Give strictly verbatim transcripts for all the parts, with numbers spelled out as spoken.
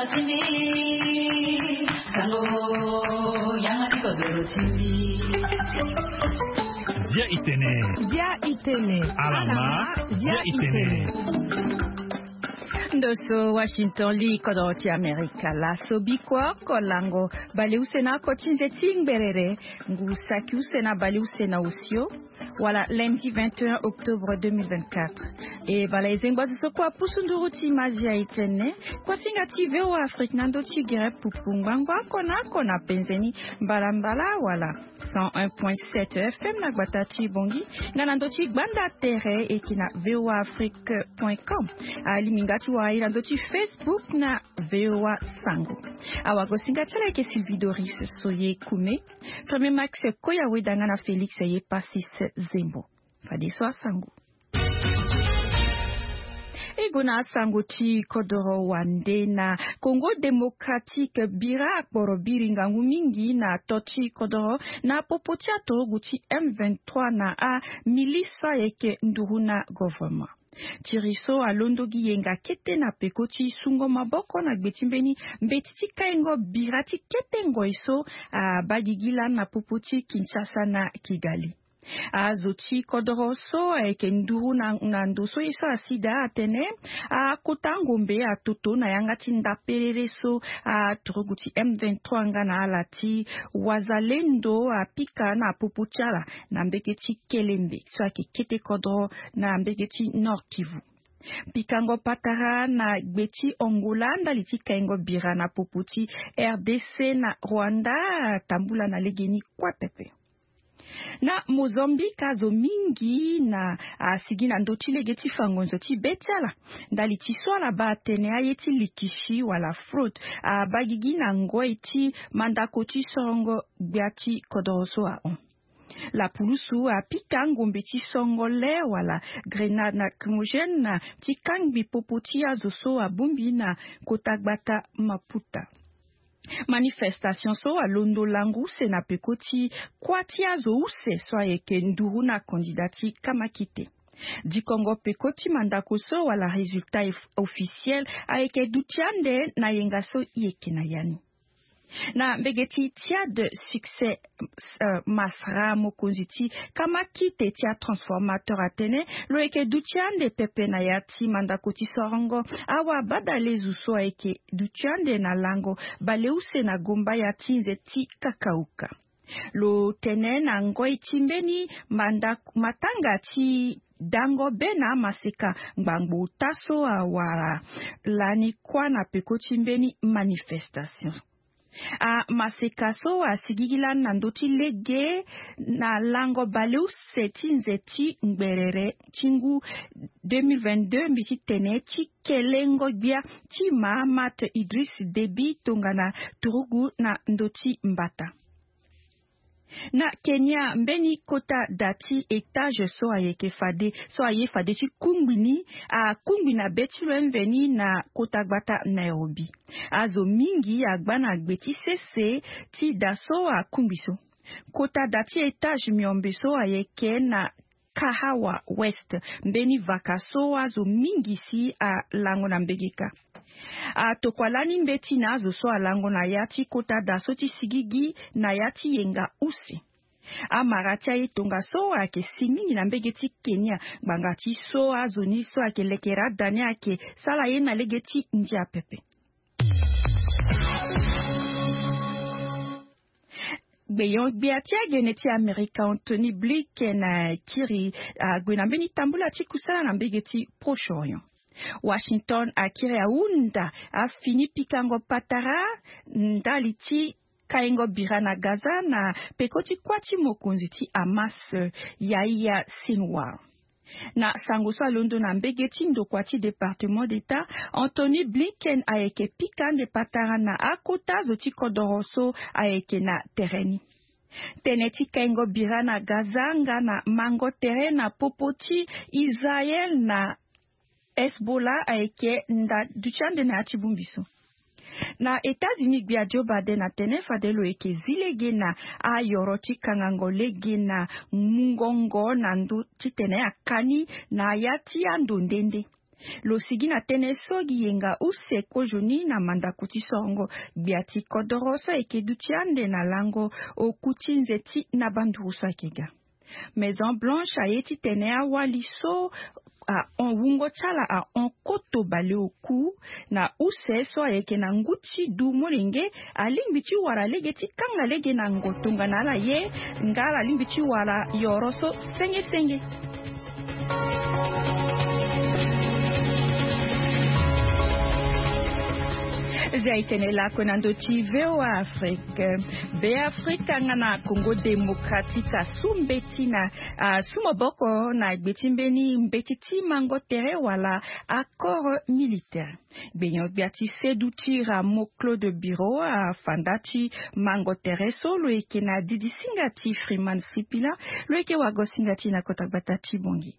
Dia itene. Dia itene. Alama. Dia itene. Ndo so Washington li kodoro ti Amerika laso biko oko lango baleuse na oko ti nze ti ngberere ngu saki use na baleuse na osio. Wala lundi vingt et un octobre deux mille vingt-quatre. E bala ezengba zo so kua pusu nduru ti mazi a itene. Kuasinga ti V O A Afrique na ndo ti gere pupu ngbangba oko na oko na penzeni mbalambala wala cent un point sept F M na gbata ti Bongi, nga na ndo ti gbanda tere eke na V O A Afrique point com. Alimi nga ti wara ye na ndo ti Facebook na V O A Sango. Awagosinga ti ala eke Sylvie Doris Soye Kume. Premier Max Koya Weda nga na Félix Ye Passis Zembo. Fadeso asango. E gue na asango ti kodoro wande na Congo Démocratique bira akporo biri ngangu mingi na to ti kodoro na popo ti aturugu ti M vingt-trois na amilice so ayeke nduru na governement. Tiri so alondo gi yenga kete na peko ti sungo maboko na gbe ti mbeni mbeti ti kaingo bira ti kete ngoi so abaa gigi lani na popo ti Kinshasa na Kigali. Azo ti kodoro so ayeke nduru na, na ndo so ye so asi daa atene akota ngombe atoto na yanga ti ndaperere so aturugu ti M vingt-trois nga na ala ti Wazalendo apika na popo ti ala na mbege ti Kelembe so ayeke kete kodoro na mbege ti Nord Kivu. Pikango patara na gbe ti Angola ndali ti kaingo bira na popo ti R D C na Rwanda atambula na legeni kue pepe. Na Mozambique azo mingi na asigi na ndö ti lege ti fa ngonzo ti be ti ala ndali ti so ala baa atene aye ti likisi wala fraude abaa gigi na ngoi ti mandako ti sorongo gbia ti kodoro so ahon. Lapulusu apika ngombe ti songo le wala grenade lacrymogène na ti kangbi popo ti azo so abongbi na kota gbata Maputa. Manifestation so alondo lango use na peko ti kuâ ti azo use so ayeke nduru na kandida ti kamakite. Dikongo peko ti mandako so wala résultat eff-, officiel ayeke duti ande na yenga so i yeke na ya ni. Na mbege ti Tchad, Succès, euh, Masra, mokonzi ti kamakite ti atransformateur atene lo yeke duti ande pepe na ya ti mandako ti sorongo awa badalezu so ayeke duti ande na lango baleuse na gomba ya ti nze ti kakauka. Lo tene na ngoi ti mbeni manda-, matanga ti dango be na amaseka ngbangbo ota so awara lani kuâ na peko ti mbeni manifestation. Amaseka so asigigi lani na ndö ti lege na lango baleuse ti nze ti ngberere ti ngu deux mille vingt-deux mbi ti tene ti kelengo gbia ti Mahamat Idriss Déby tongana turugu na ndö ti mbata. Na Kenya, mbeni kota da ti étage so ayeke fade, so aye fade ti kungbi ni, akungbi na be ti lo mveni na kota gbata Nairobi. Azo mingi agba na gbe ti sese ti da so akungbi so. Kota da ti étage miombe so ayeke na Kahawa West, mbeni vaka so azo mingi si alango na mbegeka. Atokua lani mbeti na azo so alango na ya ti kota da so ti sigigi na ya ti yenga use. Amara ti aye tongaso ayeke si mingi na mbege ti Kenya ngbanga ti so azo ni so ayeke lekere ada ni ayeke sara ye na lege ti ndia pepe. Gbeyon gbia ti agene ti Amerika Anthony Blinken akiri ague na mbeni tambula ti kusala na mbege ti Proche-Orient. Washington akiri ahunda afini pikango patara ndali ti kaingo bira na Gaza na peko ti kuâ ti mokonzi ti Hamas, Yahya Sinwar. Na sango so alondo na mbege ti ndokua ti Département d'État, Anthony Blinken ayeke pika ande patara na akota zo ti kodoro so ayeke na tere ni. Tënë ti kaingo bira na Gaza nga na mango tere na popo ti Israël na Hezbollah ayeke nda duti ande na ya ti bongbi so. Na États-Unis, gbia Joe Biden atene fade lo yeke zi lege na ayoro ti kangango lege na mungongo na ndö titene akani na ya ti ando nde nde. Lo sigi na tënë so gi yenga use kozoni na mandako ti sorongo gbia ti kodoro so ayeke duti ande na lango oku ti nze ti na banduru so ayeke ga. Maison Blanche aye titene awali so ahon wungo ti ala ahon koto baleoku na use so ayeke na ngu ti du molenge alingbi ti wara lege ti kanga lege na ngo tongana ala ye nga ala lingbi ti wara yoro so senge senge. Zia itene lakue na ndö ti VOA Afrique. Be Afrika nga na Congo Démocratique asu mbeti na asu maboko na gbe ti mbeni mbeti ti mango tere wala accord militaire. Gbenyo-gbia ti sedu ti Rameau Claude Bureau afa nda ti mango tere so lo yeke na didisinga ti Freeman Sipila. Lo yeke wago singa ti na kota gbata ti Bongi.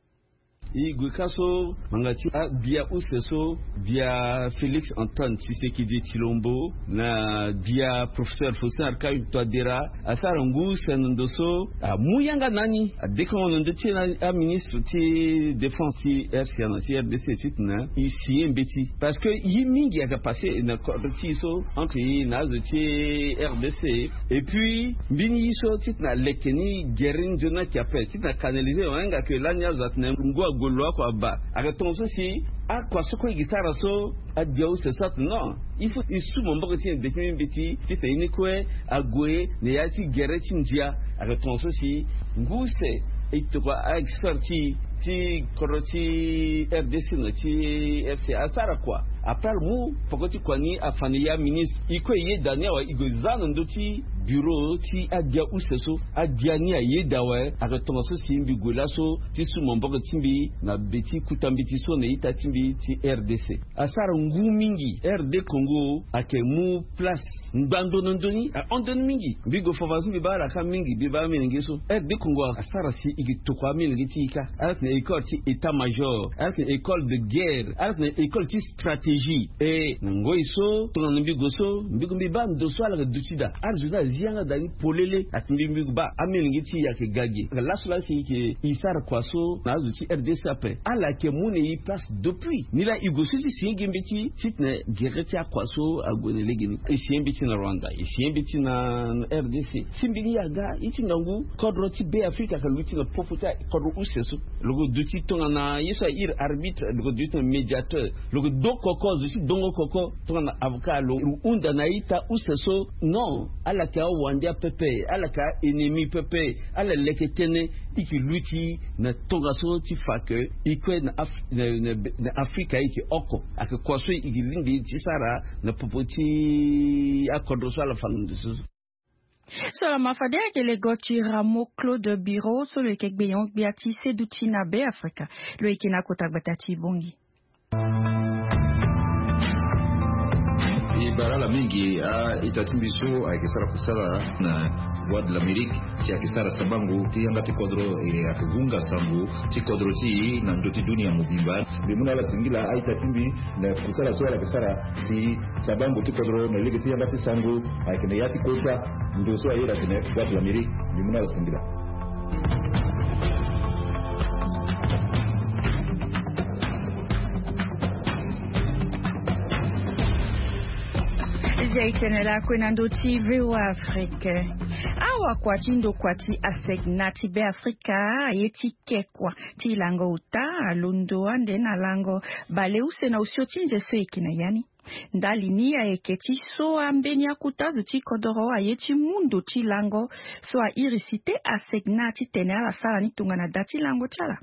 E gue ka so ngbanga ti abia use so, bia Félix Antoine Tshisekedi Tshilombo na bia professeur Faustin Archange Touadéra asara ngu use na ndo so amu yanga na ni adekongo na ndö ti aministre ti défense ti RCA na ti RDC titene e si ye mbeti. Parce que ye mingi ayeke passe na kodro ti e so entre e na azo ti RDC. Et puis mbeni ye so titene aleke ni gere ni nzoni ayeke ape titene acanaliser wayanga ke lani azo atene ngu ague lo oko abaa. Ayeke tongaso si akua so kue e gi sara so agbia use so atene non, il faut e su maboko ti e na beti mbeti titene ye ni kue ague na ya ti gere ti ndia. Ayeke tongaso si ngu use e tokua aexpert ti e ti kodro ti RDC na ti RCA asara kua. Après ala mu poko ti kua ni afa na e aministre e kue e yeda ni awe e gue za na ndö ti bureau ti agbia use so. Agbia ni ayeda awe. Ayeke tongaso si mbi gue laso ti su maboko ti mbi na be ti kuta mbeti so na ita ti mbi ti RDC. Asara ngu mingi. RD Congo ayeke mu place ngbando na ndö ni ahon ndö ni mingi. Mbi gue fava so mbi baa ala ka mingi mbi baa amolenge so. RD Congo asara si e ke tokua amolenge ti e ka. Ala tene école ti état major, ala tene école de guerre, ala tene école ti stratégie. E na ngoi so tongana mbi gue so mbi gue mbi baa ndo so ala yeke duti daa. Ala zo ni azi yanga daa ni polele. Atene mbi mbi gue baa amolenge ti e ayeke ga ge. Laso laa si e ke e sara kua so na azo ti RDC ape. Ala yeke mu na e place depuis ni laa e gue so ti si ye gi mbeti titene gere ti akua so ague na legeni. E si ye mbeti na Rwanda, e si ye mbeti na RDC. Si mbi ni aga ye ti ngangu kodro ti Be Afrika ayeke luti na popo ti kodro use so. Lo ke duti tongana ye so airi arbitre, lo ke duti na médiateur. Lo ke do koko, zo ti dongo koko tongana avocat. Lo hunda na ita use so. Non, ala yeke awande apepe, ala yeke a-ennemi pepe. Ala leke tënë. E ke luti na tongaso ti fa ke e kue na Af- na- na- na Afrika e ke oko. Ayeke kua so e ke lingbi ti sara na popo ti akodro so ala fa na ndo so. So lama fade ayeke lego ti Rameau Claude Bureau so lo yeke gbenyo-gbia ti seduti na Be Afrika. Lo yeke na kota gbata ti Bongi. E bara ala mingi a-ita ti mbi so ayeke sara kusala na Voix de l'Amérique si ayeke sara sabango ti yanga ti kodro. E ayeke hunga sango ti kodro ti e na ndö ti dunia mobimba. Mbi mu na ala singila a-ita ti mbi na kusala so ala yeke sara si sabango ti kodro na lege ti yanga ti sango ayeke na ya ti kota ndo so aye atene Voix de l'Amérique. Mbi mu na ala singila. Zia e tene lakue na ndö ti VOA Afrique. Awakua ti ndokua ti ASECNA ti Be Afrika aye ti ke kua ti lango ota alondo ande na lango baleuse na osio ti nze so e yeke na ya ni. Ndali ni ayeke ti so ambeni akota zo ti kodoro aye ti mu ndo ti lango so airi site ASECNA titene ala sara ni tongana da ti lango ti ala.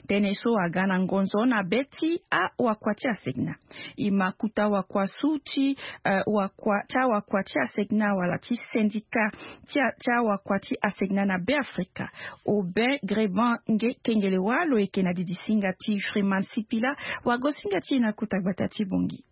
Tënë so aga na ngonzo na be ti awakua ti ASECNA. E ma kuta wakua su ti eh, wakua ti awakua ti ASECNA wala ti syndicat ti a- ti awakua ti ASECNA na Be Afrika. Aubin Greban nge kengele wâ lo yeke na didisinga ti Freeman Sipila. Wagosinga ti e na kota gbata ti Bongi.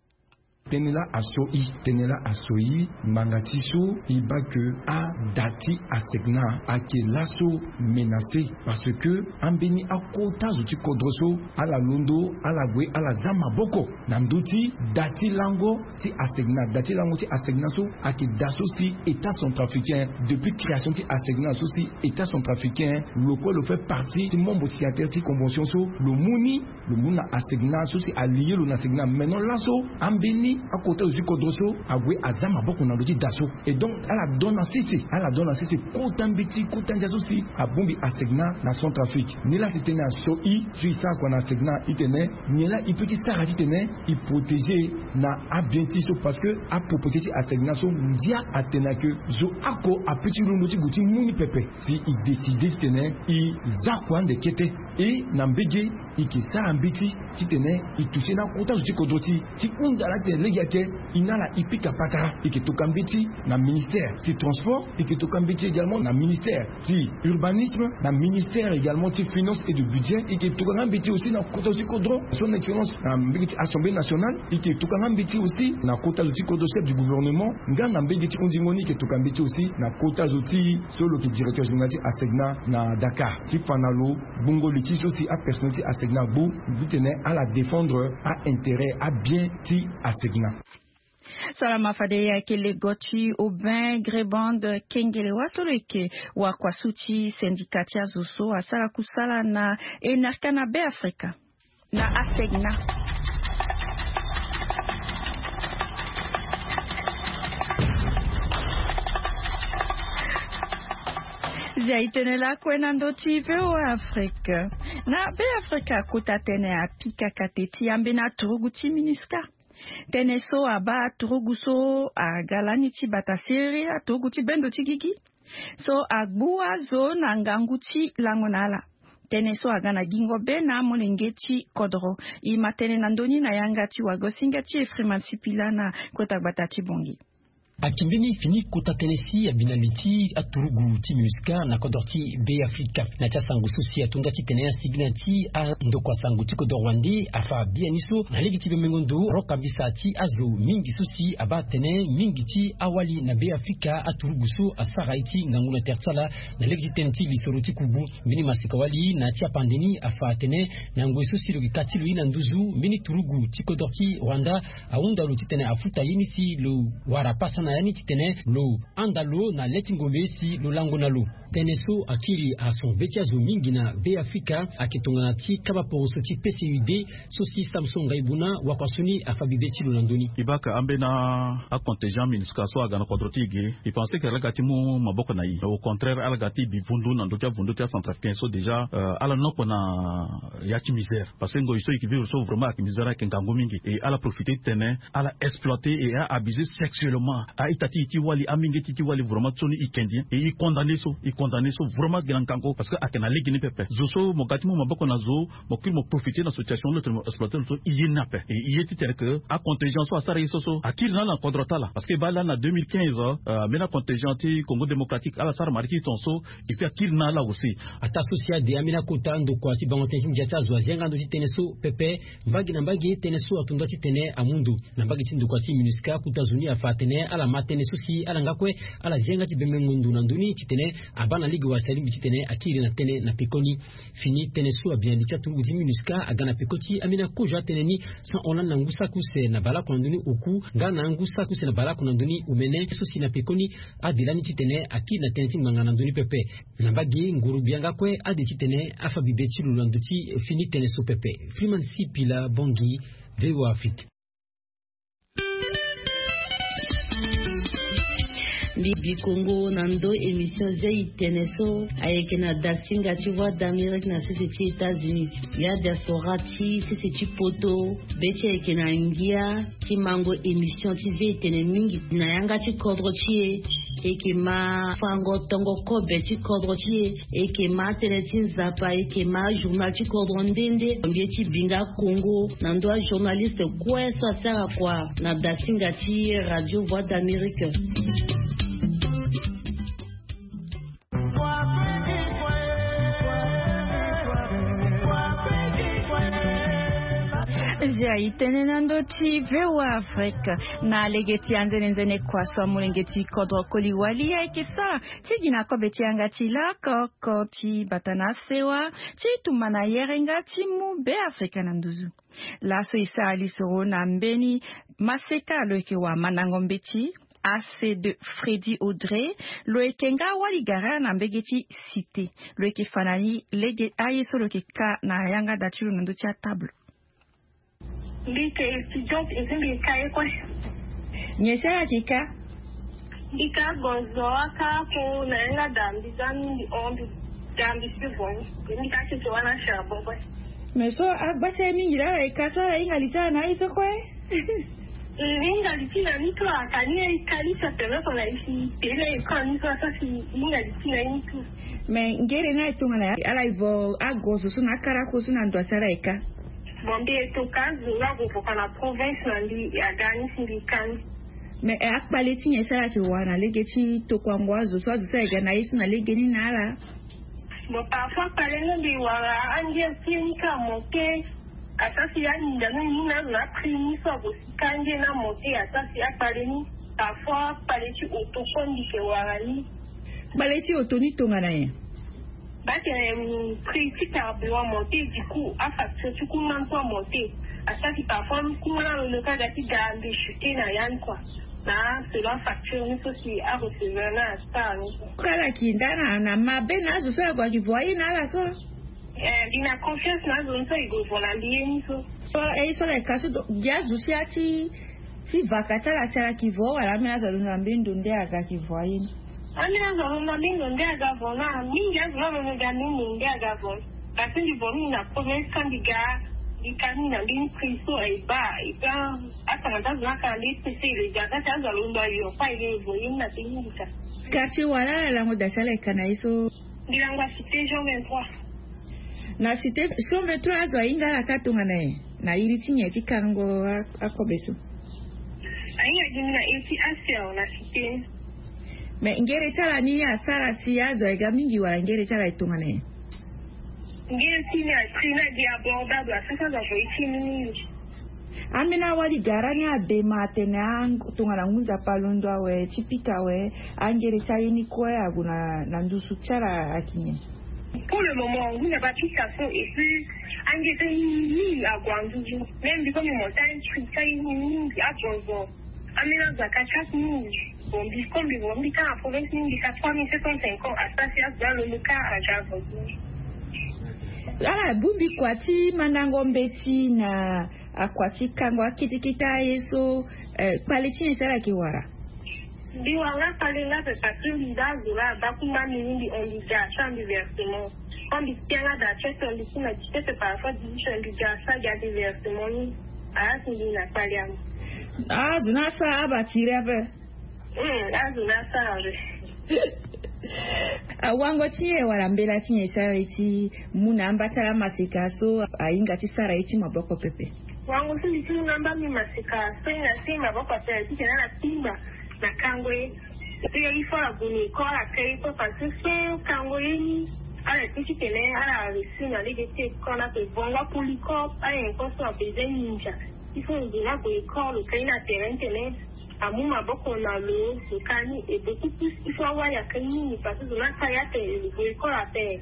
Tënë laa aso i tënë laa aso i ngbanga ti so i baa ke ada ti asegna ayeke laso menacé. Parce que ambeni akota zo ti kodro so ala londo ala gue ala za maboko na ndö ti da ti lango ti asegna da ti lango ti asegna so ayeke da so si état centrafricain depuis création ti asegna so si état centrafricain lo kue lo fait partie ti membre signataire ti convention so lo mu ni lo mu na asegna so si alie lo na asegna maintenant laso ambeni akota zo ti kodro so ague aza maboko na lo ti da so. Et donc ala don na sese ala don na sese kota mbeti kota ndia so si abongbi asegna na centrafrique. Ni laa si tënë aso i so i sara kua na asegna itene nyen laa i pe ti sara titene i protégé na abien ti so parce que apropriété ti asegna so ndia atene ake zo ako ape ti londo ti gue ti mu ni pepe. Si i décidé titene i za kua ande kete e na mbege i ke sara mbeti titene i touché na akota zo ti kodro ti i ti hunda laa titene lege ake i na ala i pika patara i ke toka mbeti na ministère ti transport i ke toka mbeti également na ministère ti urbanisme na ministère également ti finance et de budget i ke toka nga mbeti aussi na kota zo ti kodro son excellence na mbege ti assemblée nationale i ke toka nga mbeti aussi na kota zo ti kodro chef du gouvernement nga na mbege ti hundingo ni i ke toka mbeti aussi na kota zo ti so lo ke directeur général ti asegna na dakar ti fa na lo gbungo li ti so si apersonnel ti asegna agbu titene ala défendre aintérêt abien ti asegna. Salama fade ayeke lego ti aubin grébande kengele wa so lo yeke wakua su ti syndicat ti azo so asara kusala na enerka na be afrika na asegna. Zia itene lakue na ndö ti voa afrika na be afrika kota tene apika kate ti ambeni aturugu ti minusca. Tënë so abaa aturugu so aga lani ti bata sere aturugu ti bendo ti gigi so agbu azo na ngangu ti lango na ala. Tënë so aga na gingo be na amolenge ti kodro. E ma tënë na ndö ni na yanga ti wagosinga ti efriman sipila na kota gbata ti bongi. Akimbi ni fini kota tënë si abi na li ti aturugu ti minusca na kodro ti be afrika na ti asango so si atonda titene asigina ti andokua sango ti kodro wande afa biani so na lege ti bembengo ndo rokambisa ti azo mingi so si abaa atene mingi ti awali na be afrika aturugu so asara ye ti ngangu na tere ti ala na lege ti tënë ti lisoro ti kubu. Mbeni maseka wali na ti apande ni afa atene na ngoi so si lo yeke ka ti lo ye na nduzu mbeni turugu ti kodro ti rwanda ahunda lo titene afuta ye ni si lo wara pasa na ya ni titene lo handa lo na le ti ngombe si lo lango na lo. Tënë so akiri ason be ti azo mingi na be afrika ayeke tongana ti kaba poroso ti pcud so si samson ngaibuna wakuasu ni afa bibe ti lo na ndö ni. E baka ambeni acontingent minusca so aga na kodro ti e ge e pense ke ala ga ti mu maboko na e. Au contraire ala ga ti bi vundu na ndö ti avundu ti acentrafricain so déjà ala noko na ya ti misère. Parce que ngoi so e ke vivre so vraiment ayeke misère ayeke ngangu mingi e ala profiter titene ala exploiter et a abuser sexuellement a-ita ti e ti wali amenge ti e ti wali vraiment so ni e kendi e e condamner so e condamner so vraiment gi na ngangu parce que ayeke na lege ni pepe zo so mo ga ti mu maboko na zo mo kiri mo profiter na situation lo tene mo exploiter lo so e ye ni ape e e ye ti tene ke acontingent so asara ye so so akiri na ala na kodro ti ala parce que e baa lani na deux mille quinze mbeni acontingent ti congo démocratique ala sara mari ti ton so. Et puis akiri na ala aussi. Ataa so si ade ambeni akota ndokua ti bango tënë ti ndia ti azo azia nga ndo ti tënë so pepe mbage na mbage tënë so ato nda titene amu ndo na mbage ti ndokua ti minusca kota zo ni afa atene ala ma tënë so si ala nga kue ala zia nga ti bembengo ndo na ndö ni titene abaa na lege wala si alingbi titene akiri na tënë na pekoni. Fini tënë so abi na li ti aturugu ti minusca aga na peko ti ambeni akozo atënë ni. San hollande na ngu saki use na baleoko na ndö ni oku nga na ngu saki use na baleoko na ndö ni omene so si na pekoni ade lani titene akiri na tënë ti ngbanga na ndö ni pepe. Na mbage nguru gbia nga kue ade titene afa bibe ti lo na ndö ti fini tënë so pepe. Freeman sipila bongi. Voa afrique. Mbi bikongo na ndo émission zia itene so ayeke na dasinga ti voix d'amérique na sese ti états-unis ya diaspora ti sese ti poto. Be ti ayeke na ngia ti mango émission ti zia itene mingi na yanga ti kodro ti e. Eke ma fango tongo kobe ti kodro ti e. Eke ma tënë ti nzapa eke ma journal ti kodro nde nde mbie ti binga kongo na ndo ajournaliste kue so asara kua na dasinga ti radio voix d'amérique. Zia itene na ndo ti VOA Afrique. Na lege ti anzene nzene kua so amolenge ti kodro koli wali ayeke sara ti gi na kobe ti yanga ti lako oko ti bata na sewa ti tumba na yerenga ti mu Beafrika na nduzu. Laso e sara lisoro na mbeni maseka lo yeke wa mandango mbeti A C deux Freddy Audrey, lo yeke nga wali gara na mbege ti Cité. Lo yeke fa na ni lege aye so lo yeke ka na yanga da ti lo na ndö ti atable. Mbi yeke étudiante et mbi yeke ka ye kue. Nyen sara yeke ka? Mbi ka gozo aka ko na yanga da mbi za mbi hon mbi da mbi si vo. Mbi ka tete wana charbon kue. Mais so agba ti aye mingi laa ala yeke ka so ala hinga li ti ala na aye so kue. Mbi hinga li ti na ni kue aka ni aye ka ni sa permettre na ye si tene na ye kue ni so asa si hinga li ti na ye ni kue. Mais ngere ni aye tongana ya ala ye vo agozo so na akarako so na ndo asi ala ye ka? Bon mbi ye toka azo nga vo voka na province na mbi aga ni si mbi ka ni. Mais akpale ti nyen so ala yeke wara na lege ti tokuango azo so azo so aye ga na ye so na lege ni na ala? Bon parfois akpale ni mbi wara ange ti ye ni ka monte. Asa si aninda ni ni na azo na prix ni so ago si ka ange na monte asa si akpale ni. Parfois akpale ti auto so mbi yeke wara ni. Kpale ti auto ni tongana nyen? Ba tene prix ti carburant monte du coup afacture ti courant so amonte. Asa si parfois courant alondo ka ga ti ga mbi chuter na ya ni kua. Na selon facture ni so si arecevoir na asara ni. Kala ki nda na na mabe na azo so ague aki vo aye na ala so. Eh, mbi na confiance na azo ni so e gue vo na mbi ye ni so. So e so la e ka so gi azo si ati ti vaka ti ala ti ala ki vo wala ambeni azo alondo na mbeni ndo nde aga ki vo aye ni? Ambeni azo alondo na mbeni ndo nde aga vo na mingi azo ni alondo ga mbeni ndo nde aga vo. Kasi mbi vo mingi na province ka mbi ga mbi ka mingi na mbeni prix so e ba e ba. Atanga ti azo ni aka na mbeni prix so e le ga ka ti azo alondo ayo pa e le vo ye ni na te mingi ka. Quartier wala ala lango da ti ala e ka na ye so? Mbi lango acité jean vingt-trois. Na cité so mbe trois azo ahinga ala ka tongana nyen? Na iri ti nyen ti kango akobe so? Ahinga gi mbi na iri ti aser na cité. Mais ngere ti ala ni asara si azo aye ga mingi wala ngere ti ala e tongana nyen? Ngere ti ni a prix ni agi abordable asara si azo avoye ti ni mingi. Ambeni awali gara ni adema atene tongana ngu nzapa alondo awe ti pika awe. Angere ti aye ni kue ague na ndusu ti ala ayeke nyen? Pour le moment ngu nzapa apika so et puis angere ti aye ni mingi ague na ndusu. Même mbi so mbi monte aye ti aye ni mingi agonzo. Ambeni azo aka ti aye mingi. Bon mbi so mbi vo mbi ka na province ni mbi ka trois mille sept cent cinquante asara si azo alondo ka aga agonzo. Ala bongbi kua ti mandango mbeti na akua ti kango akete kete aye so. Kpale ti nyen si ala yeke wara? Mbi wara nga kpale nga pe parce que mbi da azo laa abaku mba mbi ni mbi hon mbi ga asara mbi versement. Quand mbi tia nga da tiote mbi ti na dix-sept par rapport dix-huit mbi ga asara ga mbi versement ni. Ala si mbi na kpale amu. Azo ni asara aba tiri ape. Azo ni asara ape. Awango ti nyen wala mbela ti nyen e sara e ti mu na amba ti ala maseka so ahinga ti sara ye ti maboko pepe? Wango so mbi ti mu na amba mbi maseka so hinga ti maboko pepe ti tene ala timba na kango ye. Pe ye il faut ala gue na école ala ka ye kue parce que so kango ye ni ala ye kue ti tene ala réussir na lege ti école ape. Vongo apolycope ayen kue so abezoin ninja. Il faut lo gue na gue école lo ka ye na terrain ti tene amu maboko na lo lo ka ni. Et beaucoup plus il faut awali aka ye mingi parce que zo ni aka ye ape lo gue école ape.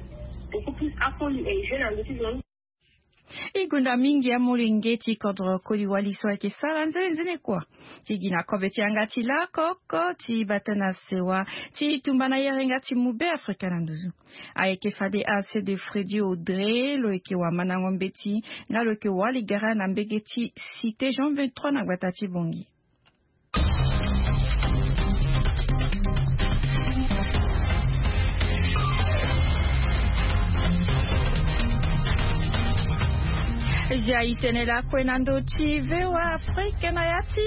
Beaucoup plus akoli e jeu na ndö ti zo ni. E gonda mingi amolenge ti kodro koli wali so ayeke sara nzene nzene kua ti gi na kobe ti yanga ti lakoko ti bata na sewa ti tumba na yerenga ti mu Beafrika na nduzu. Ayeke fade A C deux Freddy Audrey lo yeke wamandango mbeti nga lo yeke wali gara na mbege ti Cité Jean vingt-trois na gbata ti Bangui. Zia itene lakue na ndö ti VOA Afrique na ya ti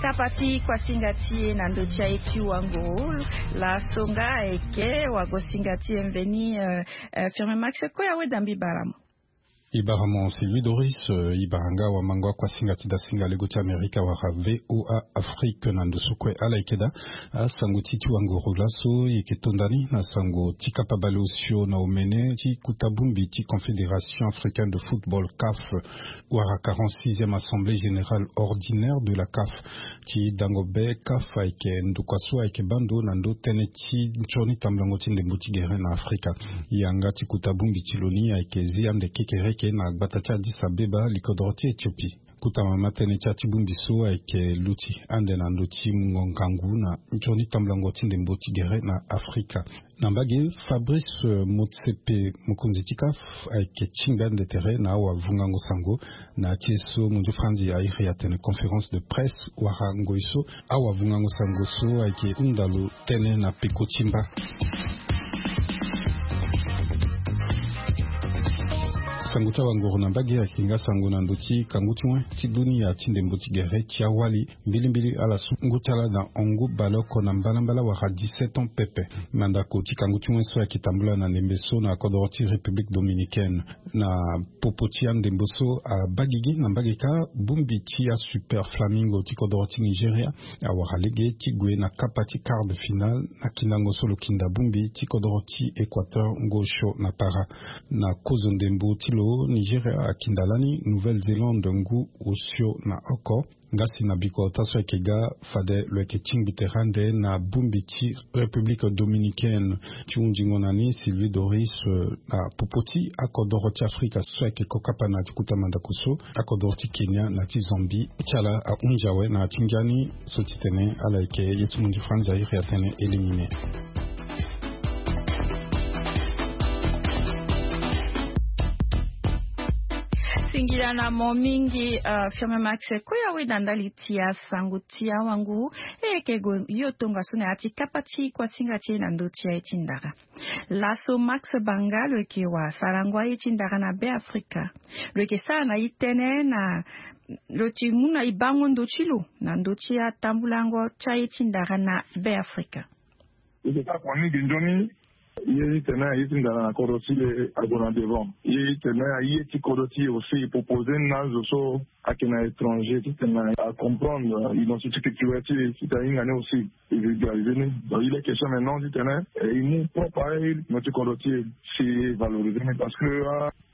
kapa ti kuasinga ti e na ndö ti aye ti wango. Laso nga ayeke wagosinga ti e mveni. Firme Max kue awe dambi baramu. Ibara mo Sylvie Doris. Ibara nga wamango akuasinga ti dasinga lego ti Amerika wala VOA Afrique na ndo so kue. Ala yeke daa asango ti ti wanguru laso yeke tonda ni na sango ti kapa baleosio na omene ti kuta bongbi ti Confédération Africaine de Football, CAF, wala quarante-sixième assemblée générale ordinaire de la CAF. Ti dango be CAF ayeke ndokua so ayeke baa ndo na ndo tënë ti nzoni tambulango ti ndembo ti gere na Afrika. Yanga ti kuta bongbi ti lo ni ayeke zi ande kekereke na gbata ti Addis Abeba, likodoro ti Ethiopie. Kuta mama tënë ti ati bongbi so ayeke luti ande na ndo ti mungo ngangu na nzoni tambulango ti ndembo ti gere na Afrika. Na mbage, Fabrice Motsepe, mokonzi ti CAF, ayeke tingbi ande tere na awavungango sango na ti ye so mundu franzi airi atene conférence de presse wala ngoi so awavungango sango so ayeke hunda lo tënë na peko ti mba. Sango ti awanguru na mbage ayeke nga sango na ndo ti kangu ti wen ti dunia ti ndembo ti gere ti awali mbilimbili ala sungu ti ala na hongo baleoko na mbalambala wala dix-sept ans pepe. Mandako ti kangu ti wen so ayeke tambula na ndembe so na kodoro ti République dominicaine. Na popo ti andembo so abaa gigi na mbage kâ, bongbi ti aSuper Flamingo ti kodoro ti Nigeria awara lege ti gue na kapa ti quart de finale na kindango so lo kinda bongbi ti kodoro ti Équateur ngosio na para. Na kozo ndembo ti lo, Nigeria akinda lani Nouvelle-Zélande ngu osio na oko. Nga si na bikota so ayeke ga, fade lo yeke tingbi tere ande na bongbi ti République dominicaine. Ti hundingo na ni, Sylvie Doris, na popo ti akodoro ti Afrika so ayeke kokapa na ti kuta mandako so, akodoro ti Kenya na ti Zambie ti ala ahunzi awe na ti ngia ni so ti tene ala yeke ye so mundu franzi airi atene éliminé. Singila na mo mingi, uh, Firme Max, koya weda ndali ti asango ti awangu. E yeke gue yo tongaso na ya ti kapa ti kuasinga ti e na ndo ti aye ti ndara. Laso Max Banga lo yeke wasarango aye ti ndara na Be Afrika. Lo yeke sara na e tënë na lo ti mu na e bango ndo ti lo na ndo ti atambulango ti aye ti ndara na Be Afrika. E yeke kapa ni gi nzoni. Ye ti tene aye ti ndara na kodro ti e ague na devant. Ye ti tene aye ti kodro ti e aussi e proposer ni na azo so ayeke na étranger ti tene acomprendre identité culturelle ti e, ti tene ahinga ni aussi e vulgariser ni. Donc il est question maintenant ti tene e mu propre aye ti kodro ti e, si e valoriser ni parce que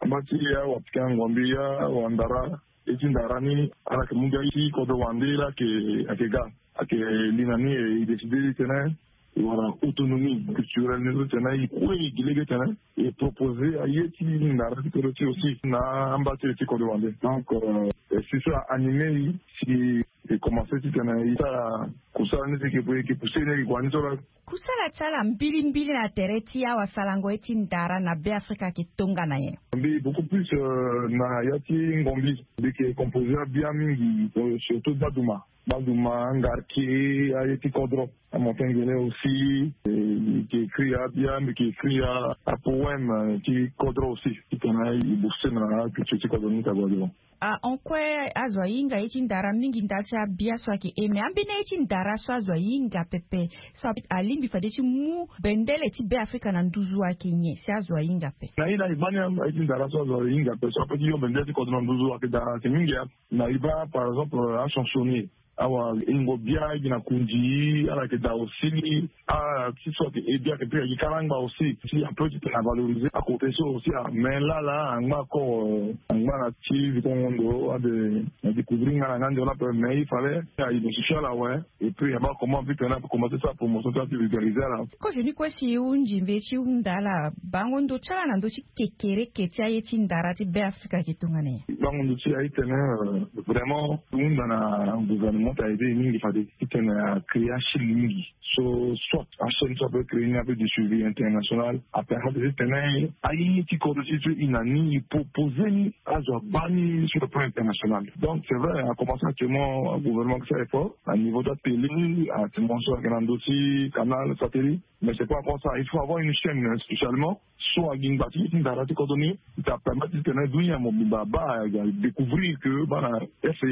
amba ti awapikango mbi awandara, ye ti ndara ni ala yeke mu gi aye ti kodro wande, ala yeke, ayeke ga, ayeke li na ni e décider ti tene e wara autonomie culturelle ni so ti tene e kue e gi lege ti tene e proposer aye ti ndara ti kodro ti e aussi na amba ti e ti kodro wande. Donc, euh, e si so a animé e si e commencer ti tene e sara kusala ni si e yeke pousser ni e yeke gue ni so la. Kusala ti ala mbilimbili na tere ti awasarango ye ti ndara na Be Afrika ayeke tongana nyen? Mbi beaucoup plus, euh, na ya ti ngombi. Mbi yeke composer abia mingi, euh, surtout baduma. Baduma, ngarke, aye ti kodro. Amontagne gelin aussi, euh, mbi yeke écrire abia, mbi yeke écrire apoème, euh, ti kodro aussi. Ti tene e booster na culture ti kodro ni ti ague devant. Ah, en quoi azo ahinga ye ti ndara mingi ndali ti abia so ayeke e, mais ambeni aye ti ndara so azo ahinga pepe so alingbi fade ti mu bendele ti Be Afrika na nduzu ayeke nyen si azo ahinga ape? Na ye na e baa ni aye ti ndara so azo ahinga ape so ape ti yo bendele ti kodro na nduzu ayeke daa, ayeke mingi. Na e baa par exemple achansonnier, awahingo bia gi na kundi, ala yeke daa aussi. Ah, ti so ayeke e bia ayeke pe ayeke kalangba aussi. Si ape ti tene avaloriser akote so aussi, ah, mais lala angba encore, euh, angba na ti vikongo ndo ade na découvrir nga na nga ndo la pe, mais il fallait a identifier ala awe. Et puis abaa comment vite na commencer sa promotion ti a ti vulgariser ala. Kozo ni kue si e hunzi mbi ti hunda ala bango ndo ti ala na ndo ti kekereke ti aye ti ndara ti Be Afrika ayeke tongana nyen? Bango ndo ti ala e tene, euh, vraiment hunda na gouvernement ti ala e be mingi fade ti tene a créer achaîne mingi. So soit achaîne so ape créer ni ape du suivi international, apermettre ti tene aye ti kodro ti e so e na ni e proposer ni azo abaa ni sur le plan international. Donc c'est vrai, a commencer actuellement gouvernement ti sara effort na niveau ti atélé, actuellement so ayeke na ndo ti canal, satellite. Mais c'est pas encore ça, il faut avoir une chaîne spécialement so ague ngba ti ye ti ndara ti kodro ni, ti permettre ti tene dunia mobimba abaa, a découvrir que bana F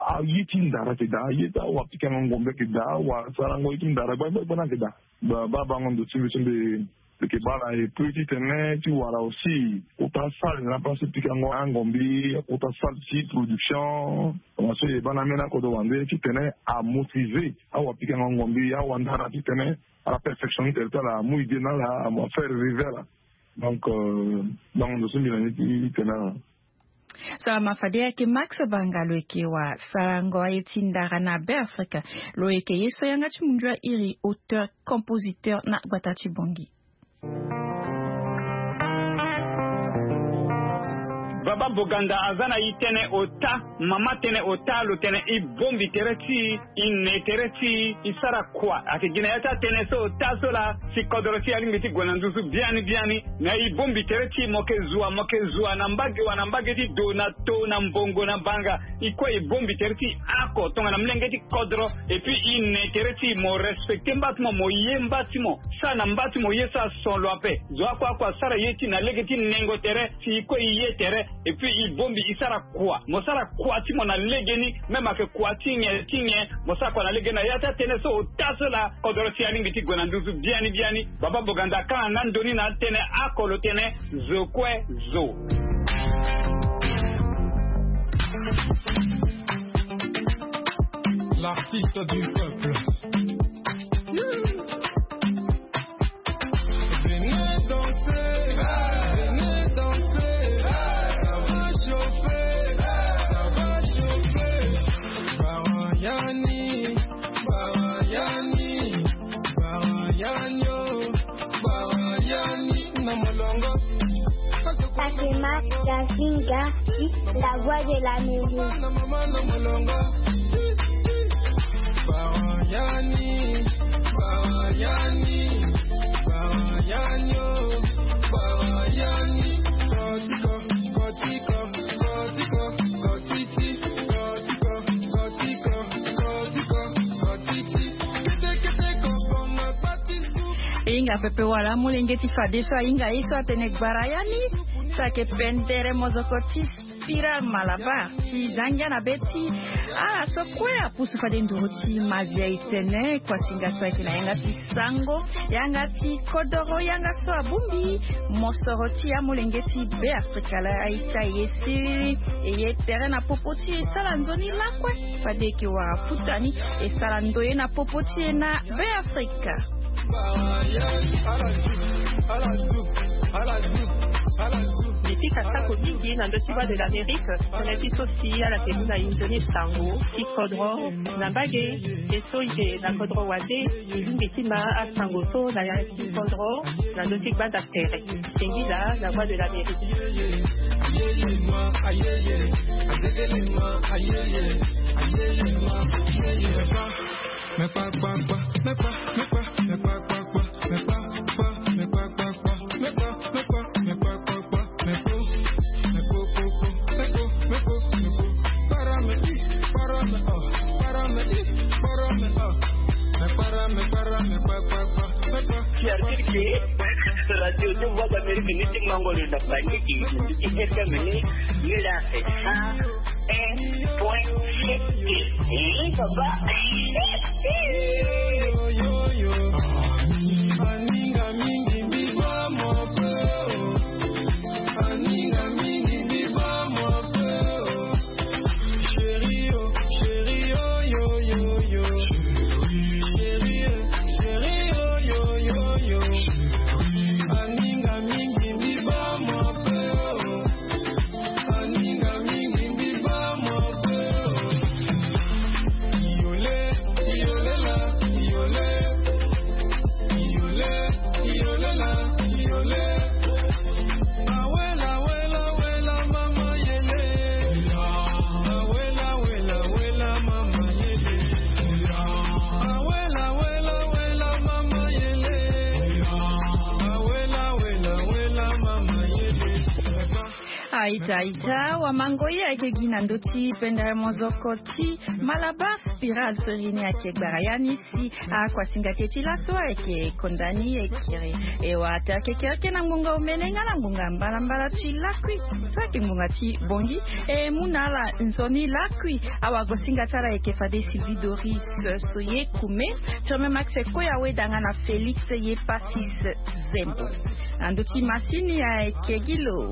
A aye ti ndara ayeke daa, aye ti awapikango ngombe ayeke daa, awasarango ye ti ndara gbagba gbagba ni ayeke daa. Ba, ba bango ndo ti mbi so mbi Eke baa na epui titene ti wara aussi kota salle na place ti pikango angombi, kota salle ti production. Tongaso e baa na ambeni akodro wande titene amotive awapikango angombi, awandara titene ala perfectionner tere ti ala, amu idée na ala, amu afaire arriver ala. Donc donc ndo so mbi na ni ti tene ala. Salama fade ayeke Max Banga, lo yeke wasarango aye ti ndara na Be Afrika. Lo yeke ye so yanga ti mundu airi auteur compositeur na gbata ti Bongi. Baba Boganda aza na e tënë ota, mama tënë ota, lo tene e bongbi tere ti e, e ne tere ti e, e sara kua. Ayeke gi na ya ti atënë so ota so laa, si kodro ti e alingbi ti gue na nduzu biani biani. Na e bongbi tere ti e, mo yeke zua, mo yeke zua na mbage wa na mbage ti do na to na mbongo na banga. E kue e bongbi tere ti e oko tongana molenge ti kodro. Et puis e ne tere ti e, mo respecter mba ti mo, mo ye mba ti mo. Sara na mba ti mo ye so ason lo ape. Zo akua akua asara ye ti e na lege ti nengo tere, si e kue e ye tere. Et puis e bongbi e sara kua. Mo sara kua ti mo na legeni, même ayeke kua ti nyen ti nyen, mo sara kua na legeni. Na ya ti atënë so ota so laa, kodro ti e alingbi ti gue na nduzu biani biani. Baba Boganda akanga nga ndo ni na atënë oko, lo tene zo kue zo. L'artiste du peuple. Venez danser, venez danser, ça va chauffer, ça va chauffer. Barayani, barayani, barayani, oh, barayani na molongo. Fatima Gazinga, la voix de l'Amérique. Barayani, barayani, barayani, oh, barayani. Kotiko, kotiko, kotiko, kotiti, kotiko, kotiko, kotiko, kotiti. Kete, kete, kobonga, koti, su. E hinga pepe wala amolenge ti fadeso ahinga ye so atene gbara ya ni. So ayeke pendere mozoko ti Spiral Malabar ti za ngia na be ti ala so kue apusu fade nduru ti Mavia e tene kuasinga so ayeke na yanga ti sango, yanga ti kodoro, yanga so abongbi mosoro ti amolenge ti Be Afrika laa. Aita e ye siriri, e ye tere na popo ti e, e sara nzoni lakue. Fade e yeke wara futa ni, e sara ndoye na popo ti e na Be Afrika. Mbi pika sako mingi na ndö ti Voix de l'Amérique, tënë ti so si ala yeke mu na e nzoni sango ti kodro na mbage. E so e yeke na kodro wande, e lingbi ti ma asango so na ya ti kodro na ndö ti gbanda tere. Sengila na Voix de l'Amérique. Qui a dit que cette radio de Voix d'Amérique n'était pas encore de la panique, qui était menée, mais là, c'est ça. Un point sept. Hein, papa? Aita aita wa mango ye ayeke gi na ndö ti pendere mozoko ti Malabar Spiral so iri ni ayeke gbara ya ni si akuasinga ti e ti laso ayeke konda ni e kiri. E wa ata yeke kereke na ngonga omene nga na ngonga mbalambala ti lakui so ayeke ngonga ti bongi. E mu na ala nzoni lakui. Awagosinga ti ala ayeke fade Sylvie Doris so ye kume, Firme Max Koya Weda nga na Félix ye Passis Zembo. Na ndö ti masini ayeke gi lo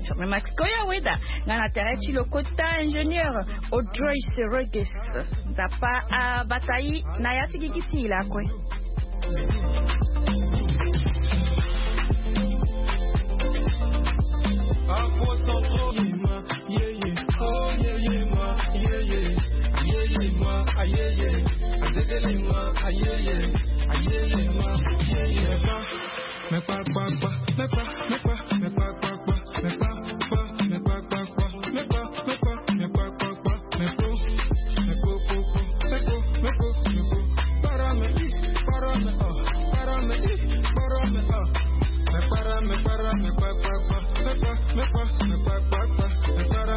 Firme Max Koya Weda nga na tere ti lo kota ingénieur Audrois Roges. Nzapa abata i na ya ti gigi ti i lakue.